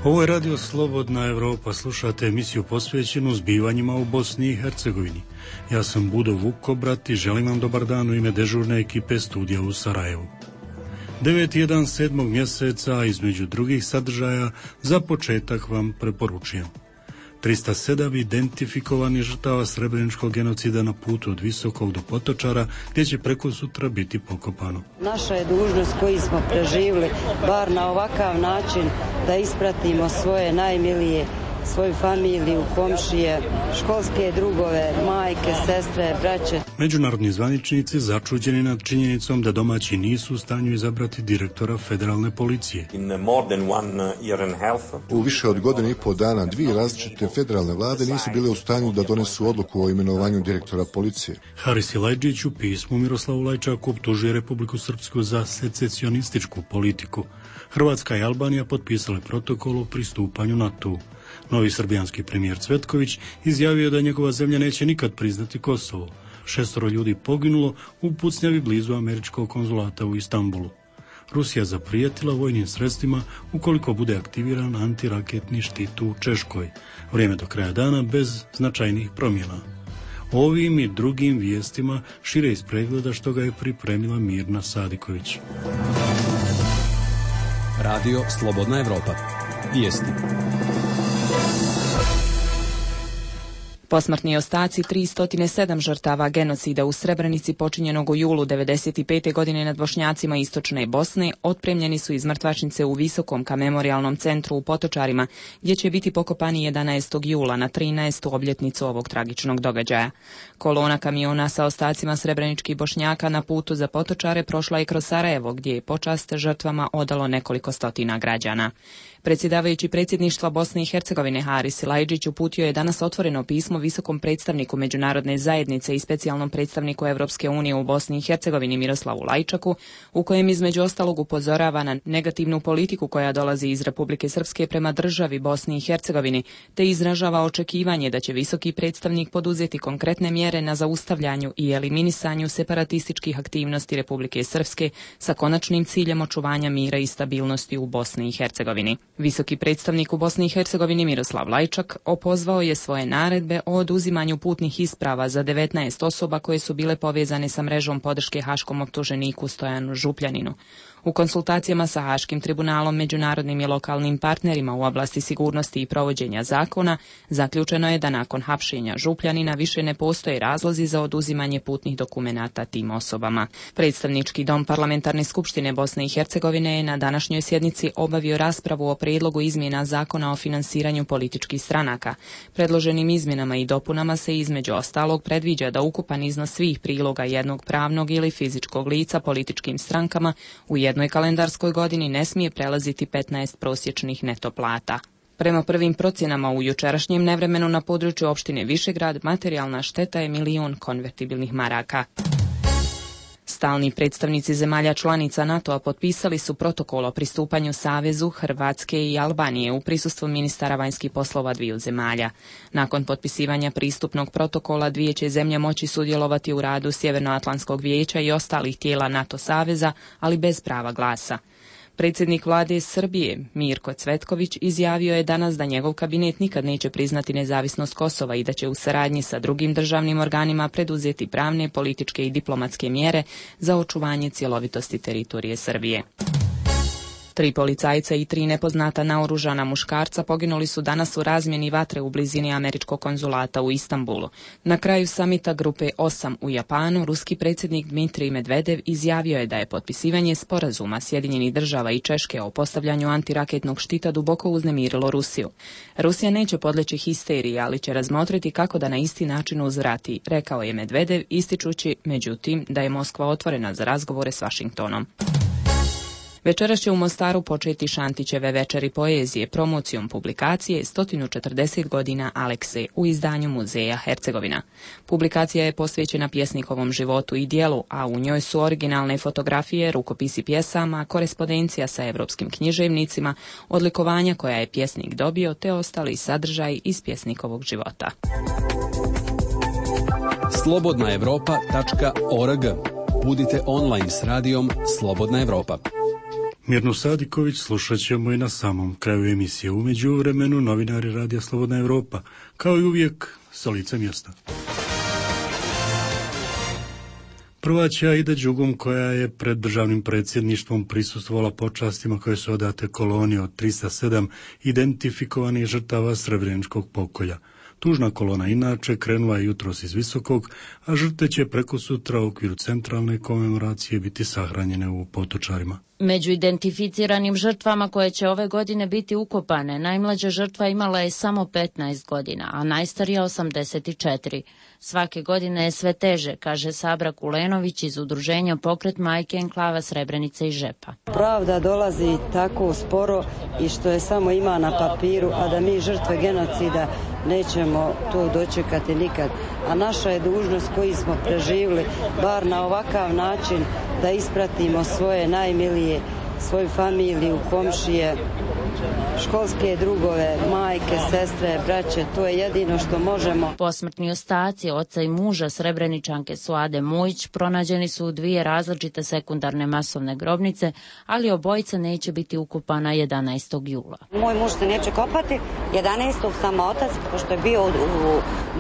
Ovo je Radio Slobodna Evropa, slušate emisiju posvećenu zbivanjima u Bosni i Hercegovini. Ja sam Budo Vukobrat i želim vam dobar dan u ime dežurne ekipe studija u Sarajevu. 9.1. 7. mjeseca, između drugih sadržaja, za početak vam preporučujem 307 identifikovanih žrtava srebreničkog genocida na putu od Visokog do Potočara, gdje će preko sutra biti pokopano. Naša je dužnost koji smo preživjeli, bar na ovakav način, da ispratimo svoje najmilije, svoju familiju, komšije, školske drugove, majke, sestre, braće. Međunarodni zvaničnici začuđeni nad činjenicom da domaći nisu u stanju izabrati direktora federalne policije. U više od godine i pol dana dvije različite federalne vlade nisu bile u stanju da donesu odluku o imenovanju direktora policije. Haris Silajdžić u pismu Miroslavu Lajčaku optužuje Republiku Srpsku za secesionističku politiku. Hrvatska i Albanija potpisale protokol o pristupanju NATO-u. Novi srbijanski premijer Cvetković izjavio da njegova zemlja neće nikad priznati Kosovo. 6 ljudi poginulo u pucnjavi blizu američkog konzulata u Istanbulu. Rusija zaprijetila vojnim sredstvima ukoliko bude aktiviran antiraketni štit u Češkoj. Vrijeme do kraja dana bez značajnih promjena. Ovim i drugim vijestima šire iz pregleda što ga je pripremila Mirna Sadiković. Radio Slobodna Evropa. Vijesti. Posmrtni ostaci 307 žrtava genocida u Srebrenici počinjenog u julu 1995. godine nad Bošnjacima istočne Bosne otpremljeni su iz mrtvačnice u Visokom ka memorijalnom centru u Potočarima, gdje će biti pokopani 11. jula na 13. obljetnicu ovog tragičnog događaja. Kolona kamiona sa ostacima srebreničkih Bošnjaka na putu za Potočare prošla je kroz Sarajevo, gdje je počast žrtvama odalo nekoliko stotina građana. Predsjedavajući predsjedništva Bosne i Hercegovine Haris Silajdžić uputio je danas otvoreno pismo visokom predstavniku međunarodne zajednice i specijalnom predstavniku Europske unije u Bosni i Hercegovini Miroslavu Lajčaku, u kojem između ostalog upozorava na negativnu politiku koja dolazi iz Republike Srpske prema državi Bosni i Hercegovini, te izražava očekivanje da će visoki predstavnik poduzeti konkretne mjere na zaustavljanju i eliminisanju separatističkih aktivnosti Republike Srpske sa konačnim ciljem očuvanja mira i stabilnosti u Bosni i Hercegovini. Visoki predstavnik u Bosni i Hercegovini Miroslav Lajčak opozvao je svoje naredbe o oduzimanju putnih isprava za 19 osoba koje su bile povezane sa mrežom podrške haškom optuženiku Stojanu Župljaninu. U konsultacijama sa Haškim tribunalom, međunarodnim i lokalnim partnerima u oblasti sigurnosti i provođenja zakona, zaključeno je da nakon hapšenja Župljanina više ne postoje razlozi za oduzimanje putnih dokumenata tim osobama. Predstavnički dom Parlamentarne skupštine Bosne i Hercegovine je na današnjoj sjednici obavio raspravu o prijedlogu izmjena zakona o finansiranju političkih stranaka. Predloženim izmjenama i dopunama se između ostalog predviđa da ukupan iznos svih priloga jednog pravnog ili fizičkog lica političkim strankama u jednoj kalendarskoj godini ne smije prelaziti 15 prosječnih neto plata. Prema prvim procjenama u jučerašnjem nevremenu na području opštine Višegrad materijalna šteta je 1.000.000 konvertibilnih maraka. Stalni predstavnici zemalja članica NATO-a potpisali su protokol o pristupanju Savezu Hrvatske i Albanije u prisustvu ministara vanjskih poslova dviju zemalja. Nakon potpisivanja pristupnog protokola dvije će zemlje moći sudjelovati u radu Sjevernoatlantskog vijeća i ostalih tijela NATO saveza, ali bez prava glasa. Predsjednik vlade Srbije Mirko Cvetković izjavio je danas da njegov kabinet nikad neće priznati nezavisnost Kosova i da će u saradnji sa drugim državnim organima preduzeti pravne, političke i diplomatske mjere za očuvanje cjelovitosti teritorije Srbije. 3 policajca i 3 nepoznata naoružana muškarca poginuli su danas u razmjeni vatre u blizini američkog konzulata u Istanbulu. Na kraju samita grupe 8 u Japanu, ruski predsjednik Dmitrij Medvedev izjavio je da je potpisivanje sporazuma Sjedinjenih država i Češke o postavljanju antiraketnog štita duboko uznemirilo Rusiju. Rusija neće podleći histeriji, ali će razmotriti kako da na isti način uzvrati, rekao je Medvedev, ističući međutim da je Moskva otvorena za razgovore s Vašingtonom. Večeras će u Mostaru početi Šantićeve večeri poezije promocijom publikacije 140 godina Alekse u izdanju Muzeja Hercegovina. Publikacija je posvećena pjesnikovom životu i dijelu, a u njoj su originalne fotografije, rukopisi pjesama, korespondencija sa evropskim književnicima, odlikovanja koja je pjesnik dobio te ostali sadržaj iz pjesnikovog života. Slobodnaevropa.org. Budite online s radijom Slobodna Evropa. Mirnu Sadiković slušat ćemo i na samom kraju emisije. U međuvremenu novinari Radija Slobodna Evropa, kao i uvijek, sa lica mjesta. Prvaća Aida Đugum, koja je pred državnim predsjedništvom prisustvovala počastima koje su odate koloni od 307 identifikovanih žrtava Srebreničkog pokolja. Tužna kolona inače krenula je jutros iz Visokog, a žrtve će preko sutra u okviru centralne komemoracije biti sahranjene u Potočarima. Među identificiranim žrtvama koje će ove godine biti ukopane, najmlađa žrtva imala je samo 15 godina, a najstarija 84. Svake godine je sve teže, kaže Sabra Kulenović iz udruženja Pokret majke enklava Srebrenice i Žepa. Pravda dolazi tako sporo i što je samo ima na papiru, a da mi žrtve genocida nećemo to dočekati nikad. A naša je dužnost koji smo preživjeli, bar na ovakav način, da ispratimo svoje najmilije, svoju familiju, komšije, školske drugove, majke, sestre, braće, to je jedino što možemo. Posmrtni ostaci oca i muža Srebreničanke Suade Mujić pronađeni su u 2 različite sekundarne masovne grobnice, ali obojica neće biti ukopana 11. jula. Moj muž se neće kopati, 11. sam otac, pošto je bio u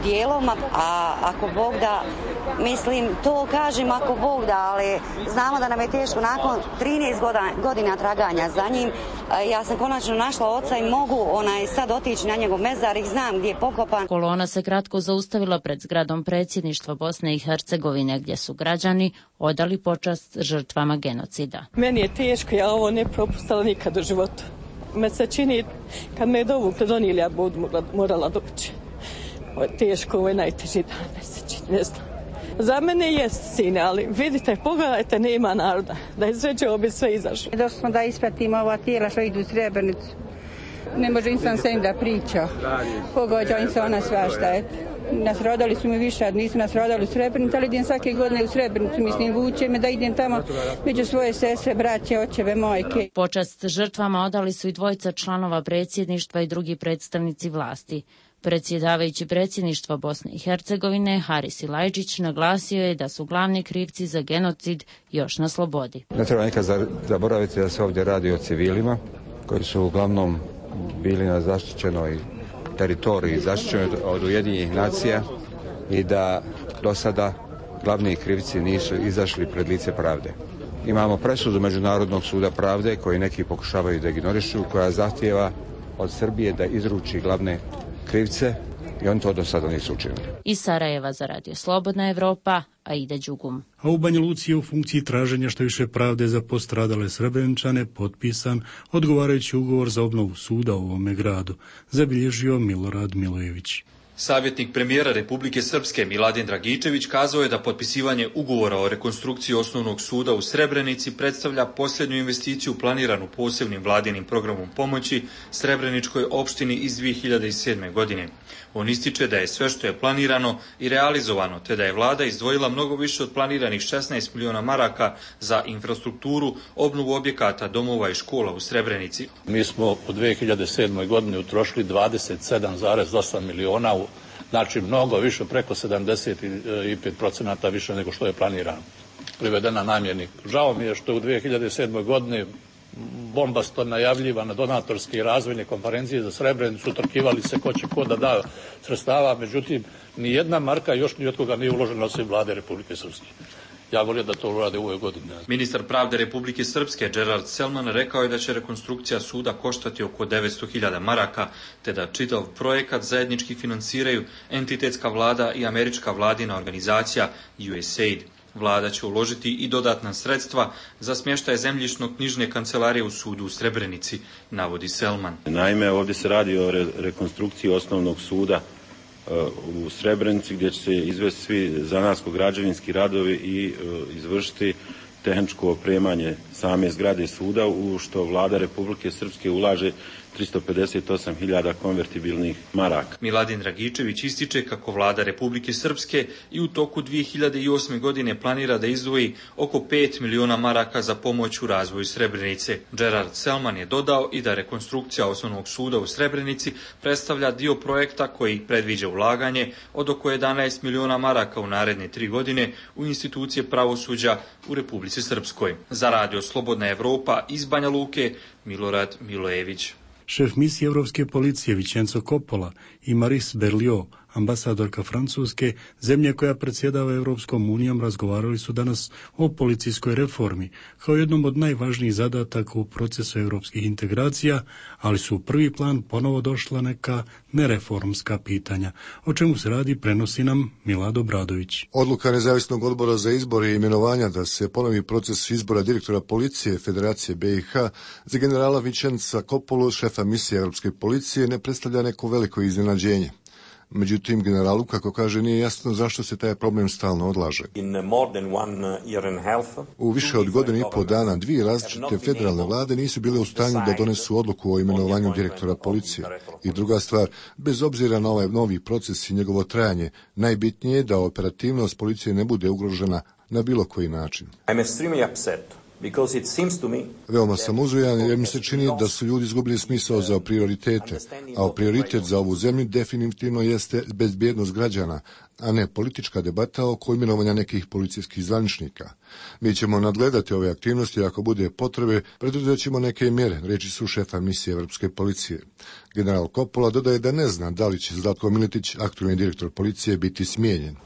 dijeloma, a ako Bog da, mislim, to kažem ako Bog da, ali znamo da nam je teško nakon 13 godina traganja za njim. Ja sam konačno našla oca i mogu sad otići na njegov mezar i znam gdje je pokopan. Kolona se kratko zaustavila pred zgradom predsjedništva Bosne i Hercegovine, gdje su građani odali počast žrtvama genocida. Meni je teško, ja ovo ne propustila nikad u životu. Me se čini, kad me je dovukle donijeli, ja budu morala doći. Ovo je teško, ovo je najteži dan, me se čini, ne znam. Za mene jest sine, ali vidite, pogledajte, nema naroda, da je sve će obi sve izašlo. Došli smo da ispratimo ova tijela što idu u Srebrenicu. Ne može insan sa njim da priča. Pogađa im se ona svašta. Nas rodali su mi više, nisu nas rodali u Srebrenicu, ali idem svake godine u Srebrenicu, mislim, vuče me da idem tamo među svoje sestre, braće, očeve, majke. Počast žrtvama odali su i 2 članova predsjedništva i drugi predstavnici vlasti. Predsjedavajući predsjedništva Bosne i Hercegovine, Haris Ilajđić, naglasio je da su glavni krivci za genocid još na slobodi. Ne treba nikad zaboraviti da se ovdje radi o civilima koji su uglavnom bili na zaštićenoj teritoriji, zaštićenoj od Ujedinjenih nacija i da do sada glavni krivci nisu izašli pred lice pravde. Imamo presudu Međunarodnog suda pravde koji neki pokušavaju da ignorišu, koja zahtijeva od Srbije da izruči glavne krivce i oni to do sada nisu učinili. Iz Sarajeva za Radio Slobodna Evropa, Aida Đugum. A u Banja Luci je u funkciji traženja što više pravde za postradale Srebreničane potpisan odgovarajući ugovor za obnovu suda u ovome gradu, zabilježio Milorad Milojević. Savjetnik premijera Republike Srpske Miladin Dragičević kazao je da potpisivanje ugovora o rekonstrukciji osnovnog suda u Srebrenici predstavlja posljednju investiciju planiranu posebnim vladinim programom pomoći Srebreničkoj opštini iz 2007. godine. On ističe da je sve što je planirano i realizovano, te da je vlada izdvojila mnogo više od planiranih 16 miliona maraka za infrastrukturu, obnovu objekata, domova i škola u Srebrenici. Mi smo u 2007. godini utrošili 27,8 miliona, znači mnogo više, preko 75% više nego što je planirano, privedena namjeni. Žao mi je što u 2007. godini bombasto najavljivane donatorske i razvojne konferencije za Srebrenicu, trkivali se ko će ko da da sredstava, međutim, ni jedna marka još ni od koga nije uložena osim vlade Republike Srpske. Ja volio da to urade u ovoj godini. Ministar pravde Republike Srpske Gerard Selman rekao je da će rekonstrukcija suda koštati oko 900.000 maraka, te da čitav projekat zajednički finansiraju entitetska vlada i američka vladina organizacija USAID. Vlada će uložiti i dodatna sredstva za smještaj zemljišno-knjižne kancelarije u sudu u Srebrenici, navodi Selman. Naime, ovdje se radi o rekonstrukciji osnovnog suda u Srebrenici, gdje će se izvesti svi zanatsko-građevinski radovi i izvršiti tehničko opremanje same zgrade suda, u što vlada Republike Srpske ulaže 358.000 konvertibilnih maraka. Miladin Dragičević ističe kako vlada Republike Srpske i u toku 2008. godine planira da izdvoji oko 5 miliona maraka za pomoć u razvoju Srebrenice. Gerard Selman je dodao i da rekonstrukcija osnovnog suda u Srebrenici predstavlja dio projekta koji predviđa ulaganje od oko 11 miliona maraka u naredne 3 godine u institucije pravosuđa u Republici Republici Srpskoj. Za radio Slobodna Evropa iz Banja Luke, Milorad Milojević. Šef misije Europske policije Vincenzo Coppola i Maris Berliot, ambasadorka Francuske, zemlje koja predsjedava Europskom unijom, razgovarali su danas o policijskoj reformi, kao jednom od najvažnijih zadataka u procesu europskih integracija, ali su u prvi plan ponovo došla neka nereformska pitanja. O čemu se radi, prenosi nam Milad Obradović. Odluka Nezavisnog odbora za izbore i imenovanja da se ponovi proces izbora direktora policije Federacije BiH za generala Vincenza Coppolu, šefa misije Europske policije, ne predstavlja neko veliko iznenađenje. Međutim, generalu, kako kaže, nije jasno zašto se taj problem stalno odlaže. U više od godine i pol dana dvije različite federalne vlade nisu bile u stanju da donesu odluku o imenovanju direktora policije. I druga stvar, bez obzira na ovaj novi proces i njegovo trajanje, najbitnije je da operativnost policije ne bude ugrožena na bilo koji način. Veoma sam uzujan jer mi se čini da su ljudi izgubili smisao za prioritete, a prioritet za ovu zemlju definitivno jeste bezbjednost građana, a ne politička debata oko imenovanja nekih policijskih zvaničnika. Mi ćemo nadgledati ove aktivnosti, ako bude potrebe, preduzet ćemo neke mjere, reči su šefa misije Europske policije. General Coppola dodaje da ne zna da li će Zlatko Miletić, aktualni direktor policije, biti smijenjen.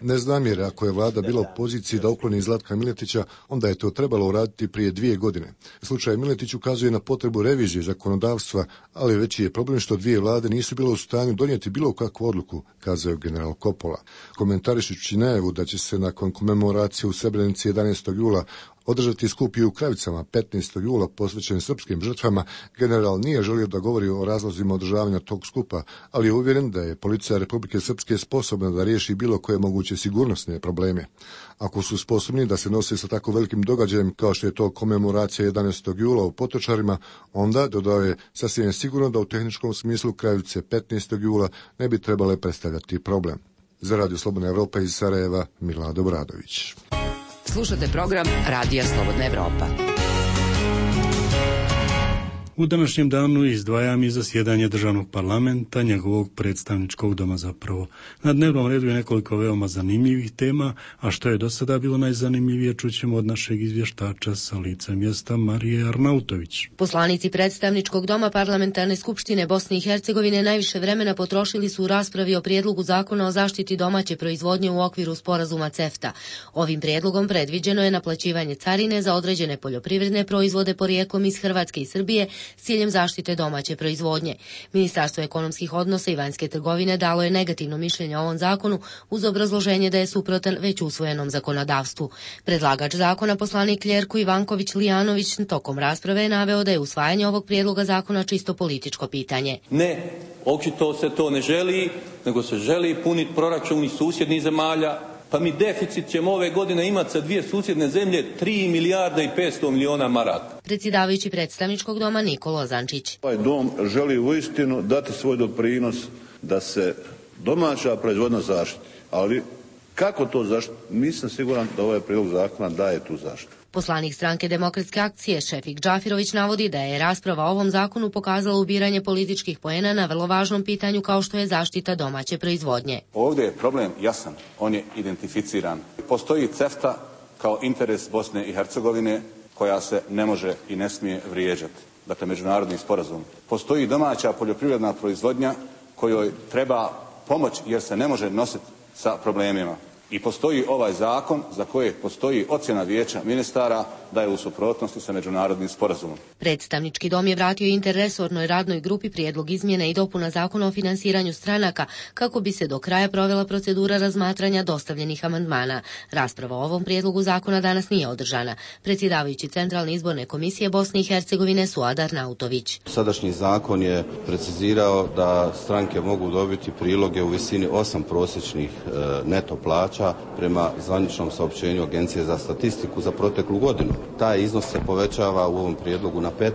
Ne znam jer ako je vlada bila u poziciji da ukloni Zlatka Miletića, onda je to trebalo uraditi prije 2 godine. Slučaj Miletić ukazuje na potrebu revizije zakonodavstva, ali veći je problem što dvije vlade nisu bile u stanju donijeti bilo kakvu odluku, kazao je general Coppola. Komentarišući najavu da će se nakon komemoracije u Srebrenici 11. jula održati skup i u Kravicama 15. jula posvećen srpskim žrtvama, general nije želio da govori o razlozima održavanja tog skupa, ali je uvjeren da je policija Republike Srpske sposobna da riješi bilo koje moguće sigurnosne probleme. Ako su sposobni da se nose sa tako velikim događajem kao što je to komemoracija 11. jula u Potočarima, onda, dodao je, sasvim je sigurno da u tehničkom smislu Kravice 15. jula ne bi trebale predstavljati problem. Za Radio Slobodna Evropa iz Sarajeva, Milad Obradović. Slušate program Radija Slobodna Evropa. U današnjem danu izdvajam i zasjedanje državnog parlamenta, njegovog predstavničkog doma zapravo. Na dnevnom redu je nekoliko veoma zanimljivih tema, a što je do sada bilo najzanimljivije čućemo od našeg izvještača sa lica mjesta Marije Arnautović. Poslanici predstavničkog doma Parlamentarne skupštine Bosne i Hercegovine najviše vremena potrošili su u raspravi o prijedlogu zakona o zaštiti domaće proizvodnje u okviru sporazuma CEFTA. Ovim prijedlogom predviđeno je naplaćivanje carine za određene poljoprivredne proizvode porijeklom iz Hrvatske i Srbije s ciljem zaštite domaće proizvodnje. Ministarstvo ekonomskih odnosa i vanjske trgovine dalo je negativno mišljenje o ovom zakonu uz obrazloženje da je suprotan već usvojenom zakonodavstvu. Predlagač zakona, poslanik Ljerko Ivanković Lijanović, tokom rasprave je naveo da je usvajanje ovog prijedloga zakona čisto političko pitanje. Ne, očito se to ne želi, nego se želi puniti proračun iz susjednih zemalja. Pa mi deficit ćemo ove godine imati sa dvije susjedne zemlje 3 milijarde i 500 milijuna maraka. Predsjedavajući predstavničkog doma Nikola Zančić. Ovaj dom želi uistinu dati svoj doprinos da se domaća proizvodnja zaštiti. Ali kako to zaštiti? Nisam siguran da ovaj prijedlog zakona daje tu zaštitu. Poslanik stranke Demokratske akcije Šefik Džafirović navodi da je rasprava o ovom zakonu pokazala ubiranje političkih poena na vrlo važnom pitanju kao što je zaštita domaće proizvodnje. Ovdje je problem jasan, on je identificiran. Postoji CEFTA kao interes Bosne i Hercegovine koja se ne može i ne smije vrijeđati. Dakle, međunarodni sporazum. Postoji domaća poljoprivredna proizvodnja kojoj treba pomoć jer se ne može nositi sa problemima. I postoji ovaj zakon za kojeg postoji ocjena vijeća ministara da je u suprotnosti sa međunarodnim sporazumom. Predstavnički dom je vratio interresornoj radnoj grupi prijedlog izmjena i dopuna zakona o finansiranju stranaka kako bi se do kraja provela procedura razmatranja dostavljenih amandmana. Rasprava o ovom prijedlogu zakona danas nije održana. Predsjedavajući Centralne izborne komisije Bosne i Hercegovine Suad Arnautović. Sadašnji zakon je precizirao da stranke mogu dobiti priloge u visini 8 prosječnih neto plaća prema zvaničnom saopćenju Agencije za statistiku za proteklu godinu. Taj iznos se povećava u ovom prijedlogu na 15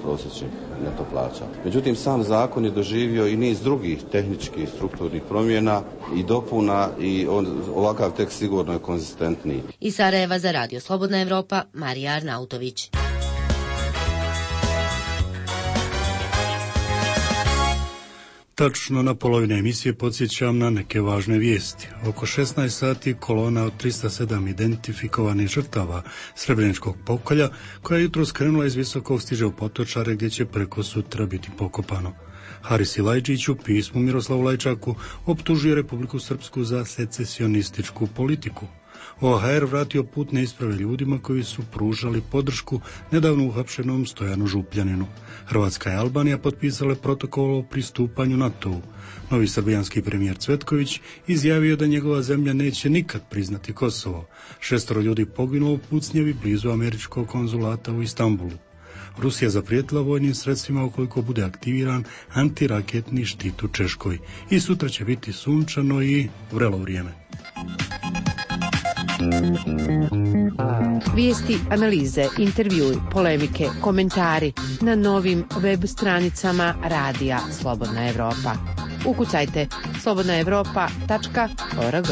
prosječnih neto plaća. Međutim, sam zakon je doživio i niz drugih tehničkih strukturnih promjena i dopuna i ovakav tekst sigurno je konzistentniji. Iz Sarajeva za Radio Slobodna Evropa, Marija Arnautović. Tačno na polovine emisije podsjećam na neke važne vijesti. Oko 16 sati kolona od 307 identifikovanih žrtava Srebreničkog pokolja, koja je jutro skrenula iz Visokog, stiže u Potočare, gdje će preko sutra biti pokopano. Haris Silajđić u pismu Miroslavu Lajčaku optužuje Republiku Srpsku za secesionističku politiku. OHR vratio putne isprave ljudima koji su pružali podršku nedavno uhapšenom Stojanu Župljaninu. Hrvatska i Albanija potpisale protokol o pristupanju NATO-u. Novi srbijanski premijer Cvetković izjavio da njegova zemlja neće nikad priznati Kosovo. 6 ljudi poginulo u pucnjevi blizu američkog konzulata u Istanbulu. Rusija zaprijetila vojnim sredstvima ukoliko bude aktiviran antiraketni štit u Češkoj. I sutra će biti sunčano i vrelo vrijeme. Vijesti, analize, intervjui, polemike, komentari na novim web stranicama Radija Slobodna Evropa. Ukucajte slobodnaevropa.org.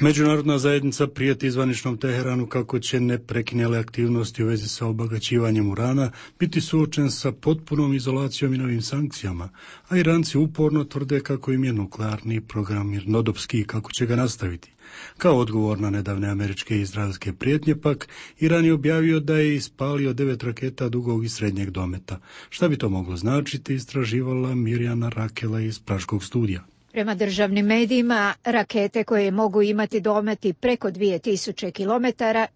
Međunarodna zajednica prijeti izvaničnom Teheranu kako će neprekinjale aktivnosti u vezi sa obagaćivanjem urana biti suočen sa potpunom izolacijom i novim sankcijama, a Iranci uporno tvrde kako im je nuklearni program mirnodopski i kako će ga nastaviti. Kao odgovor na nedavne američke i izraelske prijetnje pak, Iran je objavio da je ispalio 9 raketa dugog i srednjeg dometa. Šta bi to moglo značiti, istraživala Mirjana Rakela iz Praškog studija. Prema državnim medijima, rakete koje mogu imati dometi preko 2000 km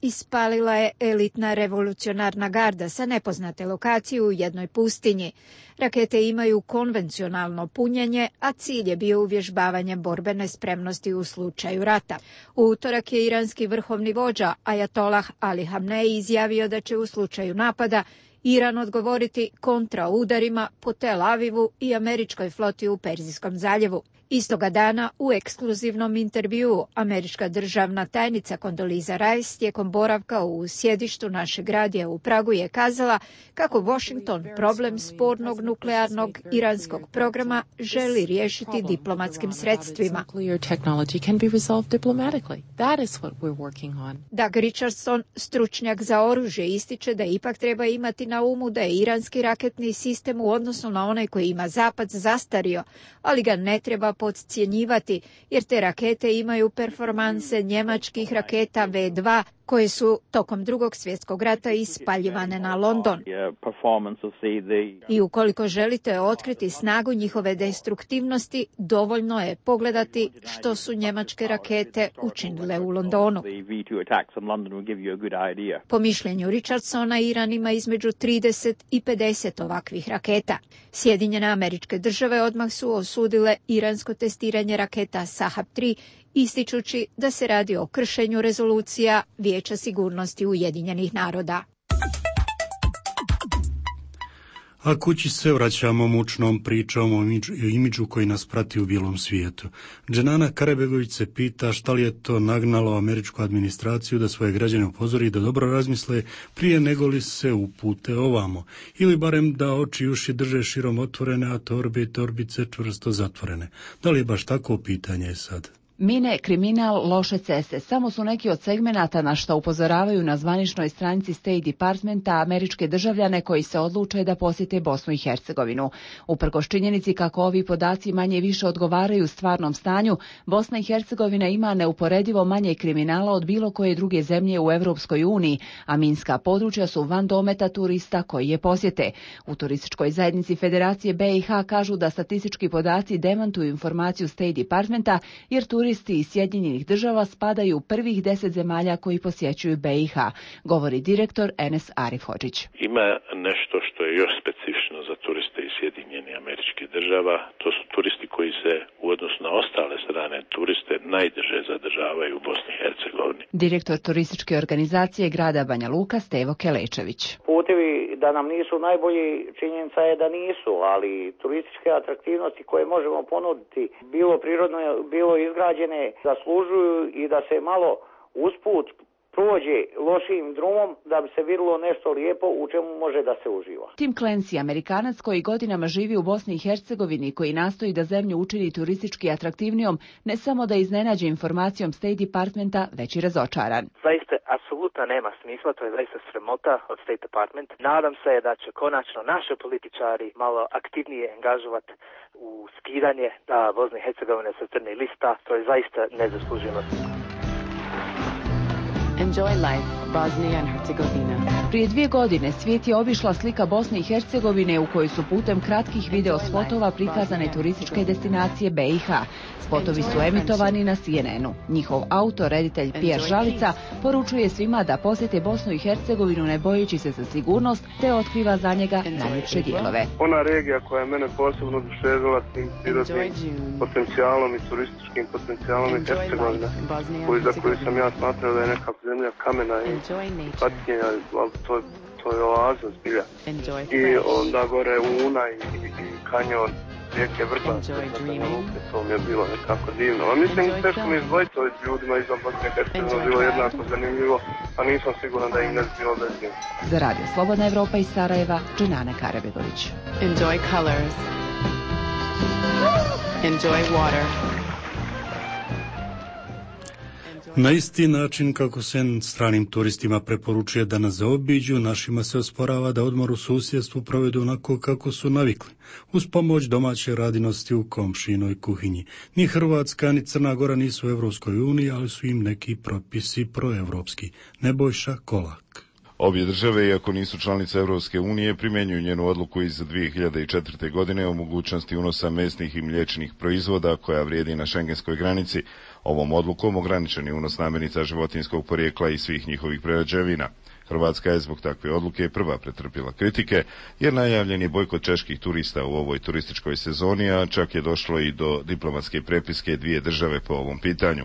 ispalila je elitna revolucionarna garda sa nepoznate lokacije u jednoj pustinji. Rakete imaju konvencionalno punjenje, a cilj je bio uvježbavanje borbene spremnosti u slučaju rata. U utorak je iranski vrhovni vođa Ajatolah Ali Hamnej izjavio da će u slučaju napada Iran odgovoriti kontraudarima po Tel Avivu i američkoj floti u Perzijskom zaljevu. Istoga dana u ekskluzivnom intervjuu američka državna tajnica Condoleezza Rice tijekom boravka u sjedištu našeg radija u Pragu je kazala kako Washington problem spornog nuklearnog iranskog programa želi riješiti diplomatskim sredstvima. Doug Richardson, stručnjak za oružje, ističe da ipak treba imati na umu da je iranski raketni sistem u odnosu na onaj koji ima Zapad zastario, ali ga ne treba podcjenjivati, jer te rakete imaju performanse njemačkih raketa V2 koje su tokom Drugog svjetskog rata ispaljivane na London. I ukoliko želite otkriti snagu njihove destruktivnosti, dovoljno je pogledati što su njemačke rakete učinile u Londonu. Po mišljenju Richardsona, Iran ima između 30 i 50 ovakvih raketa. Sjedinjene Američke Države odmah su osudile iransko testiranje raketa Sahab-3, ističući da se radi o kršenju rezolucija Vijeća sigurnosti Ujedinjenih naroda. A kući se vraćamo mučnom pričom o imidžu koji nas prati u bijelom svijetu. Dženana Karabegović se pita šta li je to nagnalo američku administraciju da svoje građane upozori da dobro razmisle prije nego li se upute ovamo, ili barem da oči i uši drže širom otvorene, a torbe i torbice čvrsto zatvorene. Da li je baš tako pitanje sad? Mine, kriminal, loše ceste samo su neki od segmenata na što upozoravaju na zvaničnoj stranici State Departmenta američke državljane koji se odluče da posjete Bosnu i Hercegovinu. Uprkos činjenici kako ovi podaci manje više odgovaraju stvarnom stanju, Bosna i Hercegovina ima neuporedivo manje kriminala od bilo koje druge zemlje u Europskoj uniji, a minska područja su van dometa turista koji je posjete. U turističkoj zajednici Federacije BiH kažu da statistički podaci demantuju informaciju State Departmenta, jer turisti iz Sjedinjenih Država spadaju u prvih 10 zemalja koji posjećuju BiH, govori direktor Enes Arif Hodžić. Ima nešto što je još specifično za turiste iz Sjedinjenih Američkih Država, to su turisti koji se u odnosu na ostale strane turiste najduže zadržavaju u Bosni i Hercegovini. Direktor turističke organizacije grada Banja Luka Stevo Kelečević. Putevi da nam nisu najbolji, činjenica je da nisu, ali turističke atraktivnosti koje možemo ponuditi, bilo prirodno, bilo izgrađene, zaslužuju i da se malo usput prođe lošim drumom da bi se vidjelo nešto lijepo u čemu može da se uživa. Tim Clancy, Amerikanac koji godinama živi u Bosni i Hercegovini, koji nastoji da zemlju učini turistički atraktivnijom, ne samo da iznenađe informacijom State Departmenta, već i razočaran. Zaista, apsolutno apsolutno nema smisla, to je zaista sramota od State Department. Nadam se da će konačno naši političari malo aktivnije angažovati u skidanje Bosne i Hercegovine sa crne lista, to je zaista nezasluženo. Enjoy life, Bosnia and Herzegovina. Prije 2 godine svijet je obišla slika Bosne i Hercegovine u kojoj su putem kratkih video spotova prikazane turističke destinacije BiH. Spotovi su emitovani na CNN-u. Njihov autor, reditelj Pierre Žalica, poručuje svima da posjete Bosnu i Hercegovinu ne bojeći se za sigurnost, te otkriva za njega najljepše dijelove. Ona regija koja je mene posebno oduševila tim prirodnim potencijalom i turističkim potencijalom je Hercegovina, za koju sam ja smatrao da je neka zemlja kamena i patnjenja, ali to je oaza zbilja. I onda gore Una i kanjon rijeke Vrbac, to mi je bilo nekako divno. A mislim, teško mi izdvojiti ovim ljudima izvan Bosne i Hercegovine bilo jednako zanimljivo, a nisam siguran da im ne bilo bez njih. Za Radio Slobodna Evropa iz Sarajeva, Dženana Karabegović. Enjoy colors. Enjoy water. Na isti način kako se stranim turistima preporučuje da nas zaobiđu, našima se osporava da odmor u susjedstvu provedu onako kako su navikli, uz pomoć domaće radinosti u komšinoj kuhinji. Ni Hrvatska ni Crna Gora nisu u Evropskoj uniji, ali su im neki propisi proevropski. Nebojša Kolak. Obje države, iako nisu članice Evropske unije, primjenjuju njenu odluku iz 2004. godine o mogućnosti unosa mesnih i mliječnih proizvoda koja vrijedi na šengenskoj granici. Ovom odlukom ograničen je unos namirnica životinjskog porijekla i svih njihovih prerađevina. Hrvatska je zbog takve odluke prva pretrpila kritike, jer najavljen je bojkot čeških turista u ovoj turističkoj sezoni, a čak je došlo i do diplomatske prepiske 2 države po ovom pitanju.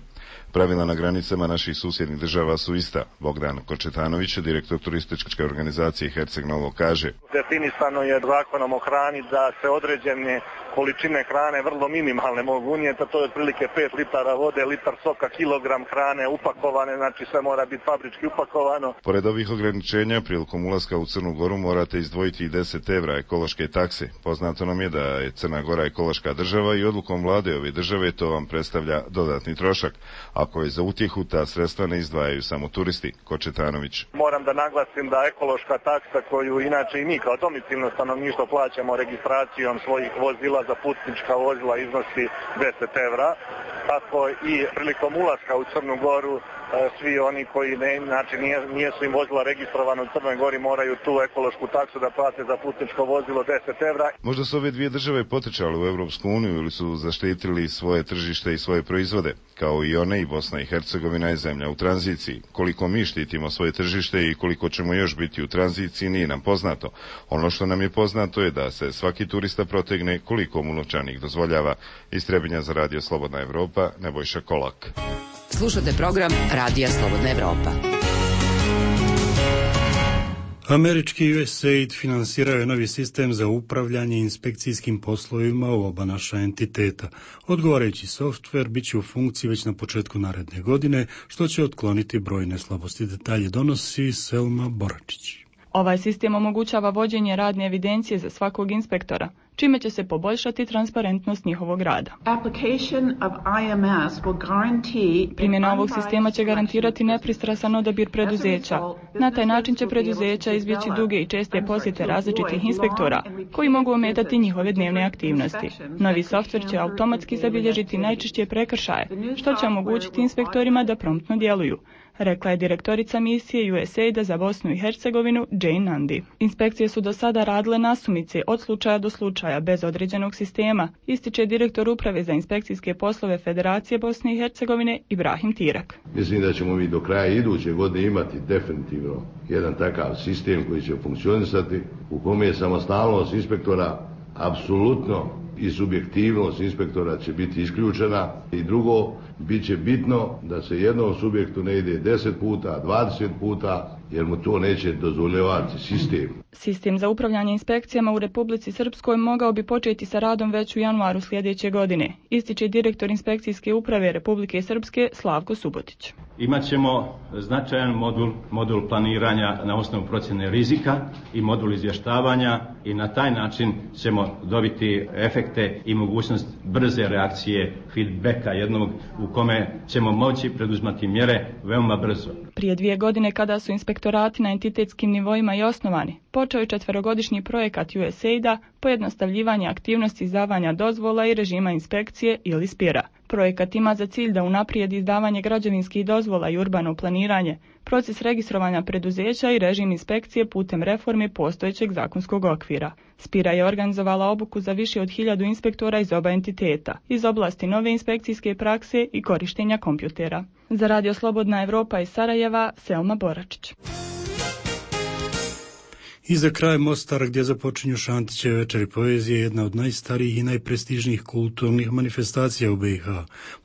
Pravila na granicama naših susjednih država su ista. Bogdan Kočetanović, direktor turističke organizacije Herceg Novo, kaže: Definisano je zakonom o hrani da se određene količine hrane vrlo minimalne mogu unijeti, to je otprilike 5 litara vode, litar soka, kilogram hrane upakovane, znači sve mora biti fabrički upakovano. Pored ovih ograničenja, prilikom ulaska u Crnu Goru morate izdvojiti i 10 evra ekološke takse. Poznato nam je da je Crna Gora ekološka država i odlukom vlade ove države to vam predstavlja dodatni trošak. Ako je za utjehu, ta sredstva ne izdvajaju samo turisti. Kočetanović: Moram da naglasim da ekološka taksa koju inače i mi kao domicilno stanovništvo plaćamo registracijom svojih vozila za putnička vozila iznosi 10 evra. Tako i prilikom ulaska u Crnu Goru svi oni koji nisu im vozila registrovano u Crnoj Gori moraju tu ekološku taksu da plate za putničko vozilo 10 evra. Možda su ove 2 države potrčale u Evropsku uniju ili su zaštitili svoje tržište i svoje proizvode. Kao i one, i Bosna i Hercegovina je zemlja u tranziciji. Koliko mi štitimo svoje tržište i koliko ćemo još biti u tranziciji nije nam poznato. Ono što nam je poznato je da se svaki turista protegne koliko mu novčanik dozvoljava. Iz Trebinja za Radio Slobodna Evropa, Nebojša Kolak. Slušate program Radija Slobodna Evropa. Američki USAID finansirao je novi sistem za upravljanje inspekcijskim poslovima u oba naša entiteta. Odgovarajući softver bit će u funkciji već na početku naredne godine, što će otkloniti brojne slabosti. Detalje donosi Selma Boračić. Ovaj sistem omogućava vođenje radne evidencije za svakog inspektora, čime će se poboljšati transparentnost njihovog rada. Primjena ovog sistema će garantirati nepristrasan odabir preduzeća. Na taj način će preduzeća izbjeći duge i česte posjete različitih inspektora, koji mogu ometati njihove dnevne aktivnosti. Novi softver će automatski zabilježiti najčešće prekršaje, što će omogućiti inspektorima da promptno djeluju, rekla je direktorica misije USAID-a za Bosnu i Hercegovinu Jane Nandi. Inspekcije su do sada radile nasumice od slučaja do slučaja bez određenog sistema, ističe direktor uprave za inspekcijske poslove Federacije Bosne i Hercegovine Ibrahim Tirak. Mislim da ćemo mi do kraja iduće godine imati definitivno jedan takav sistem koji će funkcionisati, u kome je samostalnost inspektora apsolutno i subjektivnost inspektora će biti isključena. I drugo, bit će bitno da se jednom subjektu ne ide 10 puta, 20 puta, jer mu to neće dozvoljavati sistem. Sistem za upravljanje inspekcijama u Republici Srpskoj mogao bi početi sa radom već u januaru sljedeće godine, ističe direktor Inspekcijske uprave Republike Srpske Slavko Subotić. Imaćemo značajan modul planiranja na osnovu procjene rizika i modul izvještavanja i na taj način ćemo dobiti efekte i mogućnost brze reakcije, feedbacka jednog u kome ćemo moći preduzmati mjere veoma brzo. Prije 2 godine kada su inspektorati na entitetskim nivoima i osnovani, počeo je 4-godišnji projekat USAID-a pojednostavljivanje aktivnosti izdavanja dozvola i režima inspekcije ili SPIR-a. Projekat ima za cilj da unaprijedi izdavanje građevinskih dozvola i urbano planiranje, proces registrovanja preduzeća i režim inspekcije putem reforme postojećeg zakonskog okvira. SPIR-a je organizovala obuku za više od 1000 inspektora iz oba entiteta, iz oblasti nove inspekcijske prakse i korištenja kompjutera. Za Radio Slobodna Evropa iz Sarajeva, Selma Boračić. I za kraj Mostar, gdje započinju Šantićeve večeri poezije, jedna od najstarijih i najprestižnijih kulturnih manifestacija u BiH.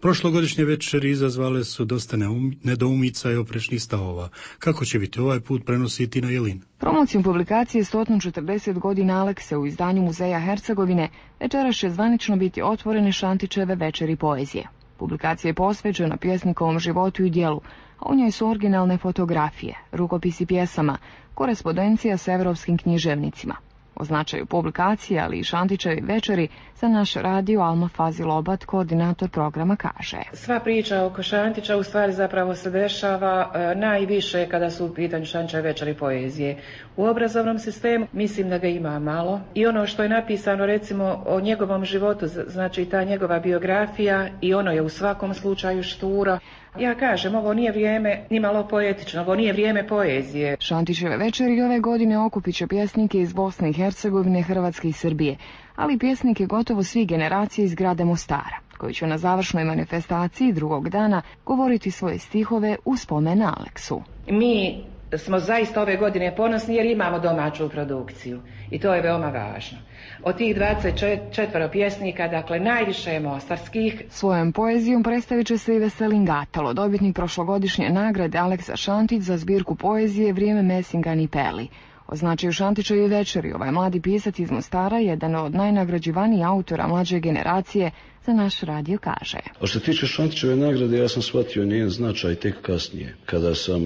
Prošlogodišnje večeri izazvale su dosta nedoumica i oprečnih stavova. Kako će biti ovaj put, prenosi Tina Jelin. Promocijom publikacije 140 godina Alekse u izdanju Muzeja Hercegovine večeras će zvanično biti otvorene Šantićeve večeri poezije. Publikacija je posvećena pjesnikovom životu i djelu, a u njoj su originalne fotografije, rukopisi pjesama, korespondencija s evropskim književnicima. O značaju publikacije, ali i Šantićevi večeri, za naš radio Alma Fazilobat, koordinator programa, kaže. Sva priča oko Šantića u stvari zapravo se dešava najviše kada su u pitanju Šantićeve večeri poezije. U obrazovnom sistemu mislim da ga ima malo i ono što je napisano recimo o njegovom životu, znači ta njegova biografija, i ono je u svakom slučaju šturo. Ja kažem, ovo nije vrijeme ni malo poetično, ovo nije vrijeme poezije. Šantićeve večeri ove godine okupit će pjesnike iz Bosne i Hercegovine, Hrvatske i Srbije, ali pjesnike gotovo svih generacija iz grada Mostara, koji će na završnoj manifestaciji drugog dana govoriti svoje stihove u spomen na Aleksu. Mi smo zaista ove godine ponosni jer imamo domaću produkciju i to je veoma važno. Od tih 24 pjesnika, dakle najviše je mostarskih. Svojom poezijom predstavit će se i Veselin Gatalo, dobitnik prošlogodišnje nagrade Aleksa Šantić za zbirku poezije Vrijeme Mesingan i Peli. O značaju Šantićevi večeri ovaj mladi pisac iz Mostara, jedan od najnagrađivanijih autora mlađe generacije, za naš radio kaže. A što se tiče Šantićeve nagrade, ja sam shvatio njen značaj tek kasnije, kada sam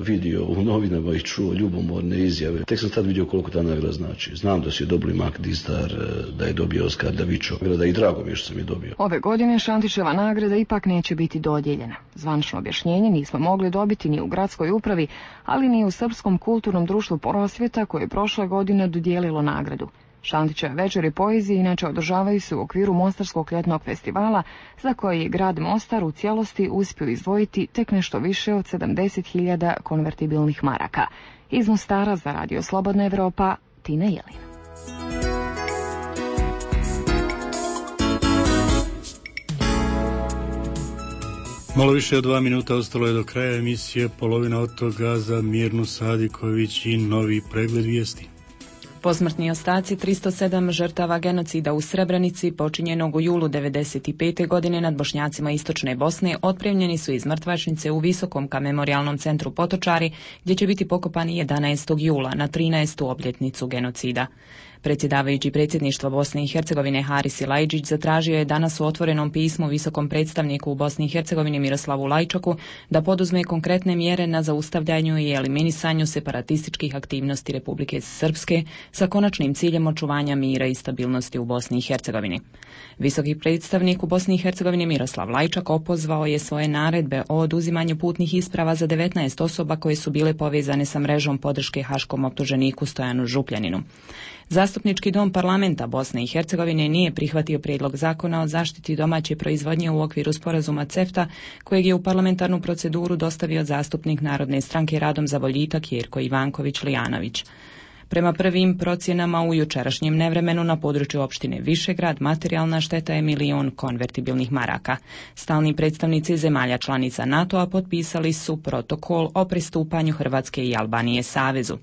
vidio u novinama i čuo ljubomorne izjave. Tek sam tad vidio koliko ta nagrada znači. Znam da si je dobili Mak Dizdar, da je dobio Oskar Davičo, i drago mi je što sam je dobio. Ove godine Šantićeva nagrada ipak neće biti dodijeljena. Zvanično objašnjenje nismo mogli dobiti ni u gradskoj upravi, ali ni u Srpskom kulturnom društvu Prosvjeta, koje je prošle godine dodijelilo nagradu. Šantićeve večeri poezije inače održavaju se u okviru Mostarskog ljetnog festivala, za koji je grad Mostar u cijelosti uspio izdvojiti tek nešto više od 70.000 konvertibilnih maraka. Iz Mostara za Radio Slobodna Evropa, Tina Jelin. Malo više od 2 minuta ostalo je do kraja emisije, polovina od toga za Mirnu Sadiković i novi pregled vijesti. Posmrtni ostaci 307 žrtava genocida u Srebrenici, počinjenog u julu 1995. godine nad Bošnjacima Istočne Bosne, otpremljeni su iz mrtvačnice u Visokom memorijalnom centru Potočari, gdje će biti pokopani 11. jula na 13. obljetnicu genocida. Predsjedavajući predsjedništva Bosne i Hercegovine Haris Silajdžić zatražio je danas u otvorenom pismu visokom predstavniku u Bosni i Hercegovini Miroslavu Lajčaku da poduzme konkretne mjere na zaustavljanju i eliminisanju separatističkih aktivnosti Republike Srpske sa konačnim ciljem očuvanja mira i stabilnosti u Bosni i Hercegovini. Visoki predstavnik u Bosni i Hercegovini Miroslav Lajčak opozvao je svoje naredbe o oduzimanju putnih isprava za 19 osoba koje su bile povezane sa mrežom podrške haškom optuženiku Stojanu Župljaninu. Zastupnički dom parlamenta Bosne i Hercegovine nije prihvatio prijedlog zakona o zaštiti domaće proizvodnje u okviru sporazuma CEFTA, kojeg je u parlamentarnu proceduru dostavio zastupnik Narodne stranke Radom za boljitak Jerko Ivanković-Lijanović. Prema prvim procjenama u jučerašnjem nevremenu na području opštine Višegrad materijalna šteta je 1 milion konvertibilnih maraka. Stalni predstavnici zemalja članica NATO-a potpisali su protokol o pristupanju Hrvatske i Albanije savezu.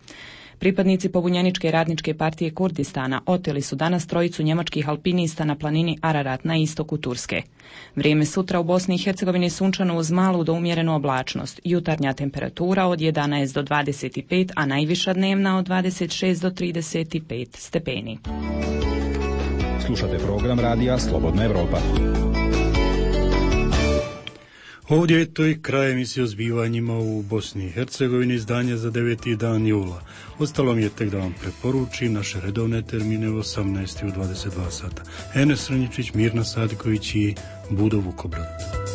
Pripadnici pobunjeničke radničke partije Kurdistana oteli su danas trojicu njemačkih alpinista na planini Ararat na istoku Turske. Vrijeme sutra u Bosni i Hercegovini sunčano uz malu do umjerenu oblačnost. Jutarnja temperatura od 11 do 25, a najviša dnevna od 26 do 35 stepeni. Slušate program radija Slobodna Evropa. Ovdje je to i kraj emisije o zbivanjima u Bosni i Hercegovini, izdanje za 9. dan jula. Ostalo mi je tek da vam preporučim naše redovne termine u 18. i u 22 sata. Enes Srnjičić, Mirna Sadiković i Budo Vukobrad.